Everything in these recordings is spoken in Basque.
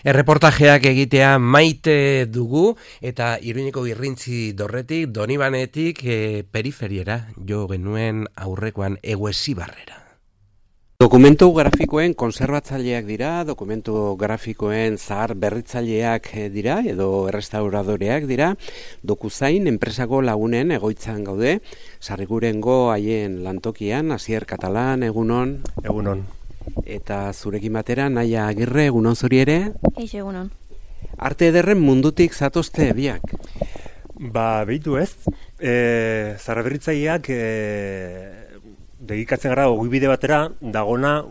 Erreportajeak egitea maite dugu eta Iruñeko Irrintzi Dorretik, Donibanetik periferiera jo genuen aurrekoan Eguesibarrera. Dokumentu grafikoen konserbatzaileak dira, dokumentu grafikoen zahar berritzaileak dira edo errestauradoreak dira. Dokuzain enpresako lagunen egoitzan gaude, Sarrigurengo haien lantokian, Asier Katalan, egunon. Egunon. Eta zurekin batera, Naia Agirre, egunon zuri ere? Eixo, egunon. Arte ederren mundutik zatozte biak? Behitu ez, zahar berritzaileak dedikatzen gara ogibide batera dagona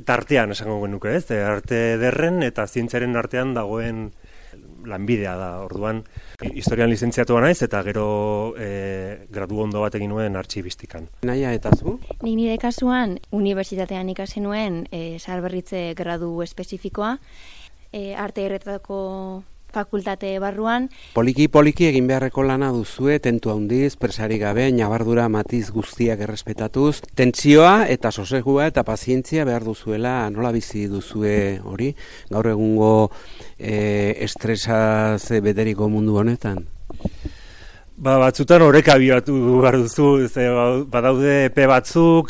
tartean esango genuke ez, arte ederren eta zientziaren artean dagoen lanbidea da, orduan historian lizentziatua naiz eta gero gradu ondo bat egin nuen artxibistikan. Naia, eta zu? Nik nire kasuan unibertsitatean ikasi nuen zaharberritze gradu espezifikoa, arte erretako fakultate barruan. Poliki egin beharreko lana duzue, tentu handiz, presari gabe, nabardura matiz guztiak errespetatuz, tentsioa eta sosegua eta pazientzia behar duzuela, nola bizi duzue hori, gaur egungo estresaz beteriko mundu honetan? Batzutan oreka bibatu behar duzu, badaude epe batzuk,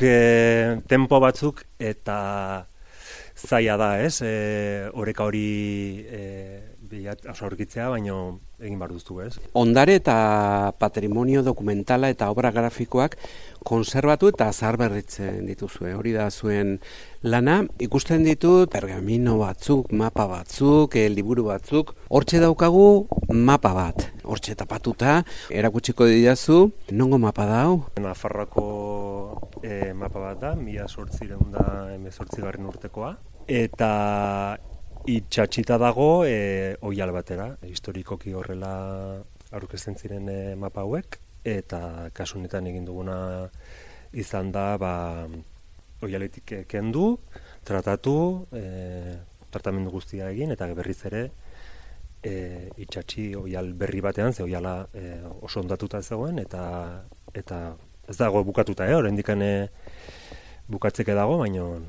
tempo batzuk, eta zaila da, ez? Oreka hori aurkitzea, baino egin behar duzu, ez? Ondare eta patrimonio dokumentala eta obra grafikoak konserbatu eta zaharberritzen dituzue. Hori da zuen lana. Ikusten ditut pergamino batzuk, mapa batzuk, liburu batzuk. Hortxe daukagu mapa bat. Hortxe tapatuta, erakutsiko didazu. Nongo mapa da hau? Nafarroako mapa bat da, 1818 urtekoa. Eta itxatxita dago oial batera, historikoki horrela aurkezten ziren mapa hauek, eta kasu honetan egin duguna izan da oialetik kendu, tratatu, tratamendu guztia egin, eta berriz ere itxatxi oial berri batean, ze oiala oso ondatuta zegoen, eta ez dago bukatuta, oraindik bukatzeke dago, baino.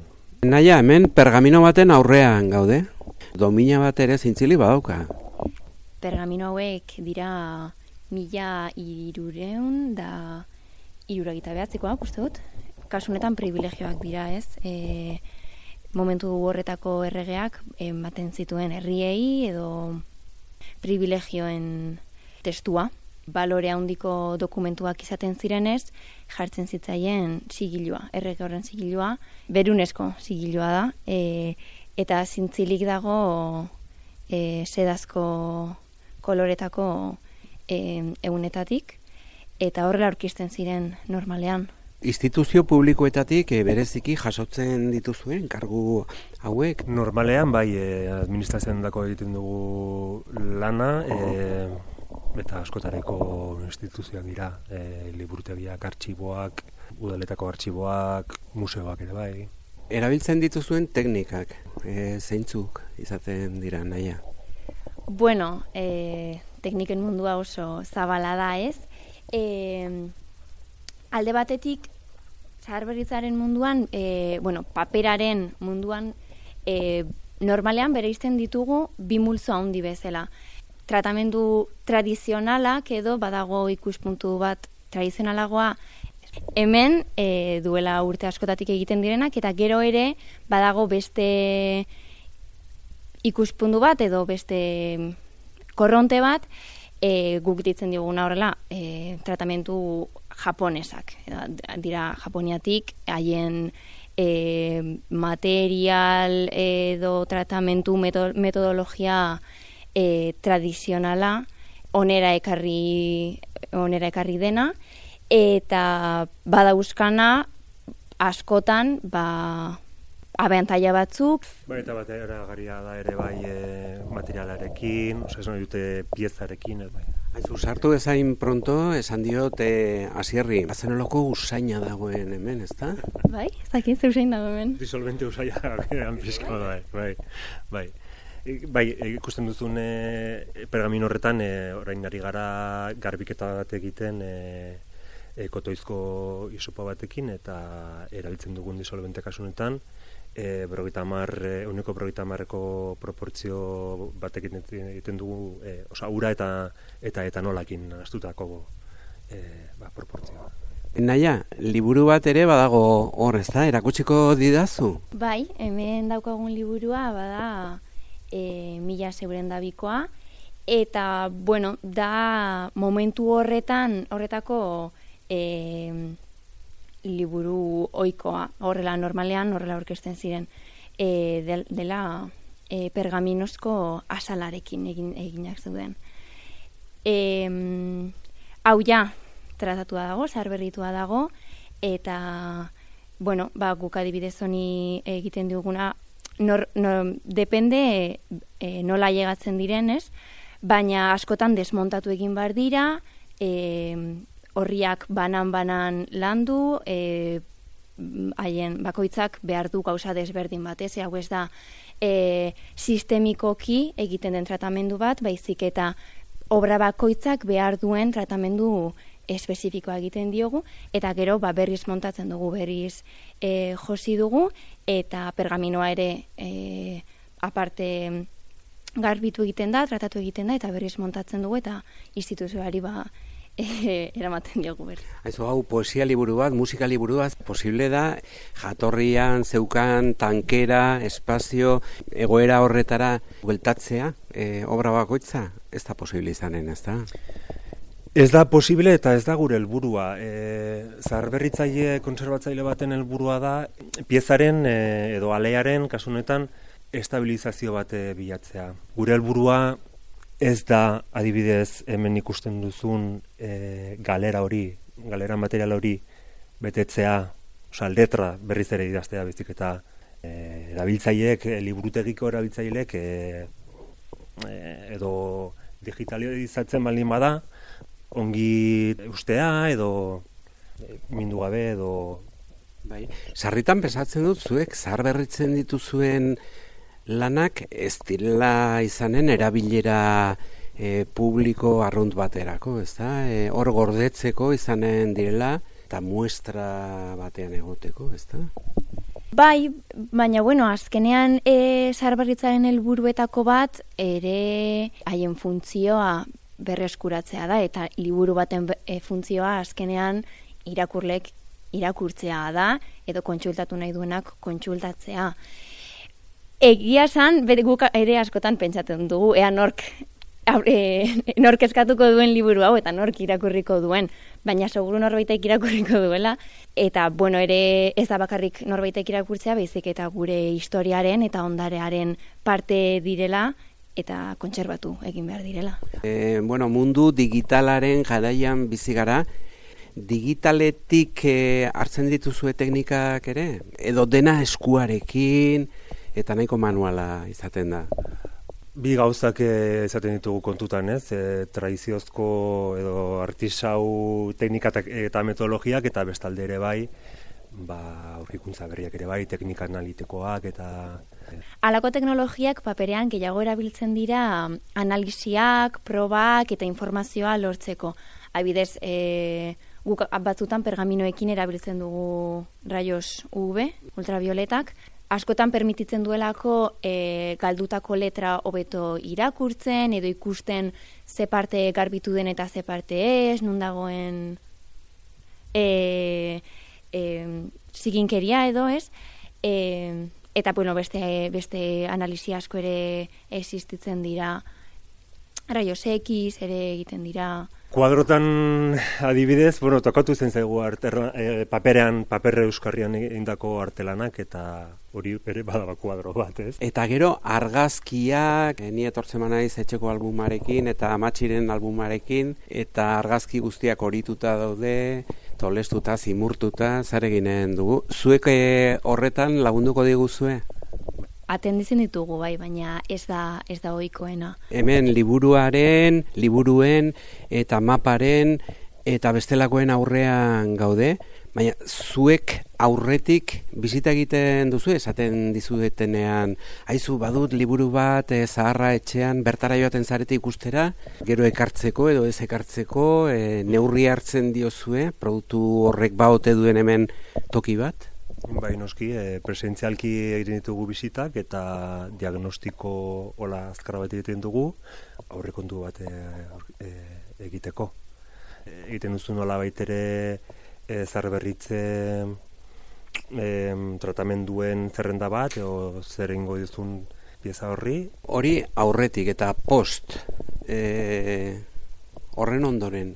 Naia, hemen pergamino baten aurrean gaude. Domina bat ere zintzili badauka. Pergamino hauek dira 1379 uste dut. Kasunetan privilegioak dira, ez? Momentu horretako erregeak ematen zituen herriei edo privilegioen testua. Balore handiko dokumentuak izaten zirenez, jartzen zitzaien sigilua, errege horren sigilua, berunesko sigilua da, eta zintzilik dago sedazko koloretako egunetatik, eta horrela aurkisten ziren normalean. Instituzio publikoetatik bereziki jasotzen dituzuen kargu hauek? Normalean, bai, administrazioan dako egiten dugu lana, eta askotareko instituzioak dira, liburutegiak, artxiboak, udaletako artxiboak, museoak ere bai. Erabiltzen dituzuen teknikak, zeintzuk izaten dira, Naia? Bueno, tekniken mundua oso zabala da, ez? Alde batetik, zaharberritzaren munduan, paperaren munduan, normalean bereizten ditugu bi multzo handi bezala. Tratamendu tradizionalak edo badago ikuspuntu bat tradizionalagoa hemen duela urte askotatik egiten direnak, eta gero ere badago beste ikuspuntu bat edo beste korronte bat guk ditzen diguna horrela tratamendu japonesak. Dira Japoniatik haien material edo tratamendu metodologia tradizionala onera ekarri dena, eta badauzkana askotan abantaila batzuk. Eta batera garia da ere bai materialarekin, ez nahi dute piezarekin. Aizu, sartu ezain pronto, esan diot Asierri, bazenoloko usaina dagoen hemen, ezta? Bai, ez dakit ze usain dago hemen. Disolvente usaina dagoen pizka da, bai. Bai, ikusten duzun pergamino horretan, orain ari gara garbiketa bat egiten kotoizko isopa batekin, eta erabiltzen dugun disolvente kasunetan, 50%eko proportzio batekin egiten dugu, ura eta etanolakin astutako proportzioa. Naia, liburu bat ere badago hor, ez da? Erakutsiko didazu? Bai, hemen daukagun liburua bada 1000 eta, bueno, da momentu horretako liburu ohikoa, horrela normalean, horrela aurkezten ziren, dela pergaminozko azalarekin eginak zeuden. Hau ja, tratatua dago, zaharberritua dago, eta, bueno, guk adibidez honi egiten duguna, depende nola llegatzen direnez, baina askotan desmontatu egin behar dira, horriak banan landu, haien bakoitzak behar du gauza desberdin bat, hau ez da sistemikoki egiten den tratamendu bat, baizik eta obra bakoitzak behar duen tratamendu espezifikoa egiten diogu, eta gero berriz montatzen dugu, berriz josi dugu, eta pergaminoa ere aparte garbitu egiten da, tratatu egiten da, eta berriz montatzen dugu, eta instituzioari eramaten diogu berriz. Aizu, hau poesia liburu bat, musika liburu bat, posible da, jatorrian, zeukan, tankera, espazio, egoera horretara bueltatzea, obra bakoitza, ez da posible izanen, ez da? Ez da posible eta ez da gure helburua. Zaharberritzaile kontserbatzaile baten helburua da piezaren edo alearen kasunetan estabilizazio bat bilatzea. Gure helburua ez da adibidez hemen ikusten duzun galera material hori betetzea, letra berriz ere idaztea bezik eta erabiltzaileek, liburutegiko erabiltzaileek edo digitalizatzen baldin bada, ongi ustea edo mindu gabe edo... Bai, sarritan pesatzen dut zuek zaharberritzen dituzuen lanak ez direla izanen erabilera publiko arrunt baterako, ez da? Hor gordetzeko izanen direla eta muestra batean egoteko, ez da? Bai, baina bueno, azkenean zaharberritzaren helburuetako bat ere haien funtzioa berreskuratzea da, eta liburu baten funtzioa azkenean irakurlek irakurtzea da, edo kontsultatu nahi duenak kontsultatzea. Egia esan, guk ere askotan pentsatzen dugu, ea nork eskatuko duen liburu hau, eta nork irakurriko duen, baina seguru norbaitek irakurriko duela, eta bueno, ere ez da bakarrik norbaitek irakurtzea, baizik eta gure historiaren eta ondarearen parte direla, eta kontserbatu egin behar direla. Bueno, mundu digitalaren jaraian bizi gara, digitaletik hartzen dituzue teknikak ere? Edo dena eskuarekin, eta nahiko manuala izaten da? Bi gauzak izaten ditugu kontutan, ez? Tradiziozko edo artisau teknikak eta metodologiak, eta bestalde ere bai, aurkikuntza berriak ere bai, teknika analitikoak eta... Halako teknologiak paperean gehiago erabiltzen dira analisiak, probak eta informazioa lortzeko. Adibidez, guk batzutan pergaminoekin erabiltzen dugu rayos UV, ultravioletak, askotan permititzen duelako galdutako letra hobeto irakurtzen edo ikusten ze parte garbitu den eta ze parte ez, nun dagoen ziginkeria edo ez, eta bueno, beste analisi asko ere existitzen dira, rayos X ere egiten dira. Kuadrotan adibidez, tokatu zen zaigu paper euskarrian egindako artelanak, eta hori ere badaba kuadro bat, ez? Eta gero argazkiak, ni etortzen naiz etxeko albumarekin eta amatxiren albumarekin, eta argazki guztiak horituta daude, tolestuta, zimurtuta, zer eginen dugu. Zuek horretan lagunduko diguzue? Atenditzen ditugu bai, baina ez da ohikoena. Hemen liburuen eta maparen eta bestelakoen aurrean gaude, Baina, zuek aurretik bizita egiten duzu, esaten dizuetenean, haizu badut liburu bat zaharra etxean bertara joaten zarete ikustera, gero ekartzeko edo ez ekartzeko, neurri hartzen diozue, produktu horrek baote duen hemen toki bat? Bai, noski, presentzialki egiten ditugu bizitak eta diagnostiko hola azkarra bat egiten dugu, aurrekontu bat egiteko. Egiten duzu nola baitere zaharberritze tratamenduen zerrenda bat, edo zer egingo duzun pieza horri. Hori aurretik eta post horren ondoren,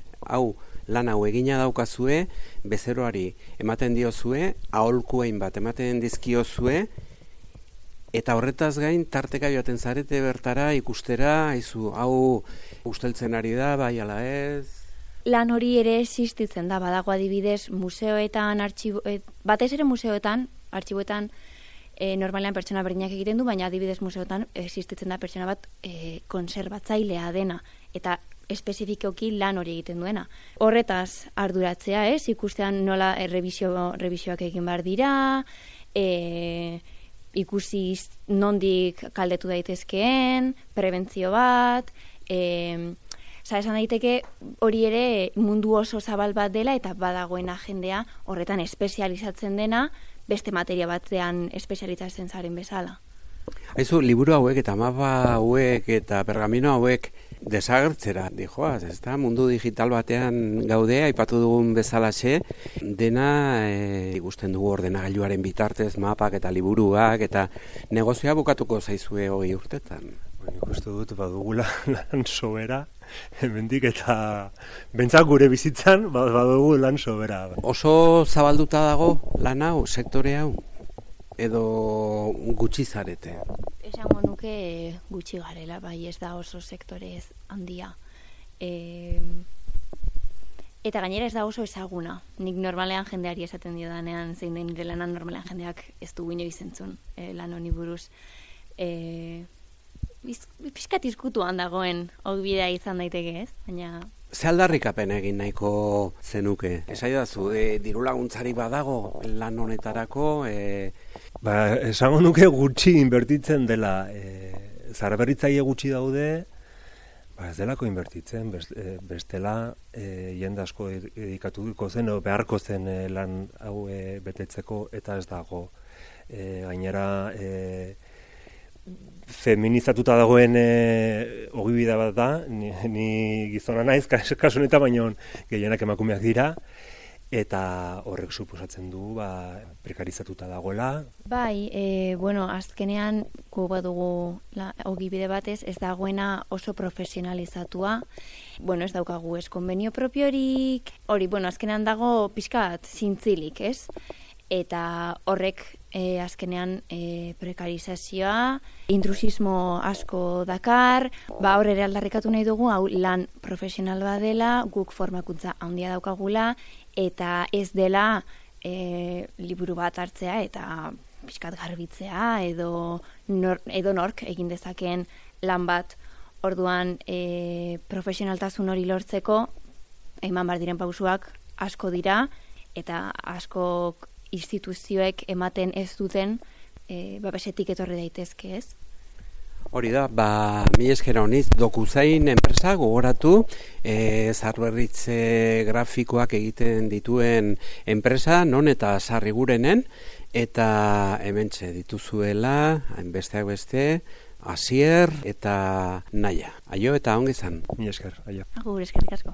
lan hau egina daukazue, bezeroari ematen diozue, aholkuein bat ematen dizkiozue, eta horretaz gain tarteka joaten zarete bertara ikustera, hau usteltzen ari da, bai ala ez? Lan hori ere existitzen da, badago adibidez museoetan, batez ere museoetan, artxiboetan normalean pertsona berdinak egiten du, baina adibidez museoetan existitzen da pertsona bat konserbatzailea dena, eta espezifikoki lan hori egiten duena. Horretaz arduratzea, ikustean nola revisioak egin behar dira, ikusi nondik kaldetu daitezkeen, prebentzio bat, esan daiteke hori ere mundu oso zabal bat dela eta badagoen jendea horretan espezializatzen dena beste materia batean espezializatzen zaren bezala. Haizu, liburu hauek eta mapa hauek eta pergamino hauek desagertzera, dijoaz, ez da, mundu digital batean gaude, aipatu dugun bezalaxe, dena ikusten dugu ordenagailuaren bitartez, mapak eta liburuak, eta negozioa bukatuko zaizue 20 urtetan. Nik uste dut, badugula lan sobera, hemendik eta bentzak gure bizitzan, badugu lan sobera. Oso zabalduta dago lan hau, sektore hau? Edo gutxi zarete? Esango nuke gutxi garela, bai, ez da oso sektorez handia. Eta gainera ez da oso ezaguna. Nik normalean jendeari esaten diodanean, zein den nire lanan normalean jendeak ez du inoiz entzun lan honi buruz. Pixkat izkutuan dagoen ogbidea izan daiteke, ez? Baina... Ze aldarrikapen egin nahiko zenuke? Esaidazu, diru laguntzari badago lan honetarako? Esango nuke gutxi inbertitzen dela. Zaharberritzaile gutxi daude, ez delako inbertitzen, bestela jende asko dedikatuko zen, beharko zen lan hau betetzeko, eta ez dago. Gainera... feminizatuta dagoen ogibide bat da, ni gizona naiz, kasu honetan baino gehienak emakumeak dira, eta horrek suposatzen du prekarizatuta dagoela. Bai, azkenean gu badugu ogibide batez, ez dagoena oso profesionalizatua, ez daukagu ez konbenio propiorik, hori, azkenean dago pixkat zintzilik, ez? Eta horrek azkenean prekarizazioa, intrusismo asko dakar, hor ere aldarrikatu nahi dugu, hau lan profesional bat dela, guk formakuntza handia daukagula, eta ez dela liburu bat hartzea eta pixkat garbitzea, edo nork egin dezakeen lan bat. Orduan profesionaltasun hori lortzeko, eman behar diren pausuak asko dira, eta asko instituzioek ematen ez duten babesetik etorri daitezke, ez? Hori da, mi esker honiz, DocuSign enpresa gogoratu, zaharberritze grafikoak egiten dituen enpresa, non eta Sarrigurenen, eta hementxe dituzuela, besteak beste, Asier eta Naia. Aio eta ongi izan. Mi esker, aio. Agur, eskerrik asko.